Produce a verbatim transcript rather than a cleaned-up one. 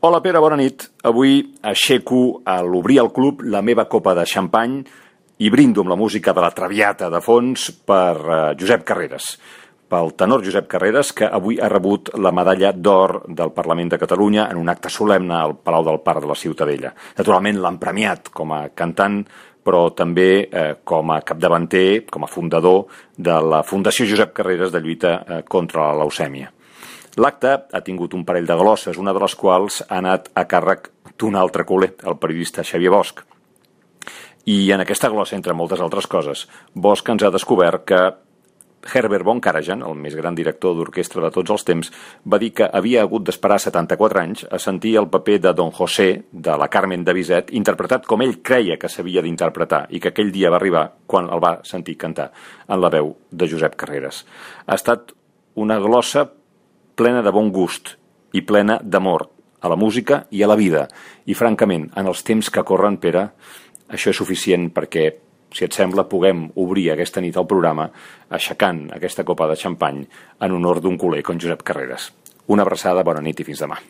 Hola Pere, bona nit. Avui aixeco a l'obrir el club la meva copa de xampany i brindo amb la música de la Traviata de fons per uh, Josep Carreras, pel tenor Josep Carreras, que avui ha rebut la medalla d'or del Parlament de Catalunya en un acte solemne al Palau del Parc de la Ciutadella. Naturalment l'han premiat com a cantant, però també eh, com a capdavanter, com a fundador de la Fundació Josep Carreras de lluita eh, contra la leucèmia. L'acte ha tingut un parell de glosses, una de les quals ha anat a càrrec d'un altre culer, el periodista Xavier Bosch. I en aquesta glossa, entre moltes altres coses, Bosch ens ha descobert que Herbert von Karajan, el més gran director d'orquestra de tots els temps, va dir que havia hagut d'esperar setanta-quatre anys a sentir el paper de Don José, de la Carmen de Bizet, interpretat com ell creia que s'havia d'interpretar, i que aquell dia va arribar quan el va sentir cantar en la veu de Josep Carreras. Ha estat una glossa plena de bon gust i plena d'amor a la música i a la vida. I, francament, en els temps que corren, Pere, això és suficient perquè, si et sembla, puguem obrir aquesta nit el programa aixecant aquesta copa de xampany en honor d'un culer com Josep Carreras. Una abraçada, bona nit i fins demà.